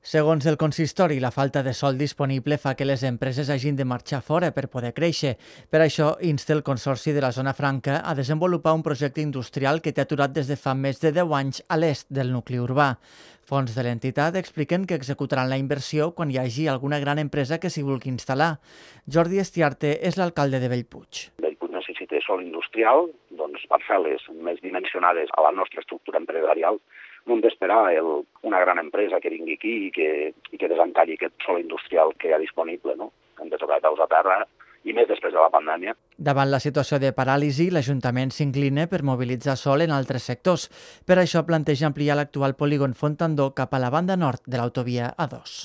Segons el consistori, la falta de sòl disponible fa que les empreses hagin de marxar fora per poder créixer. Per això, insta el Consorci de la Zona Franca a desenvolupar un projecte industrial que té aturat des de fa més de 10 anys a l'est del nucli urbà. Fons de l'entitat expliquen que executaran la inversió quan hi hagi alguna gran empresa que s'hi vulgui instal·lar. Jordi Estiarte és l'alcalde de Bellpuig. Bellpuig necessita sòl industrial, doncs parcel·les més dimensionades a la nostra estructura empresarial. No hem d'esperar una gran empresa que vingui aquí i que desencalli aquest sòl industrial que hi ha disponible, no? Hem de tocar peus a terra, i més després de la pandèmia. Davant la situació de paràlisi, l'Ajuntament s'inclina per mobilitzar sòl en altres sectors. Per això planteja ampliar l'actual polígon Fontandó cap a la banda nord de l'autovia A2.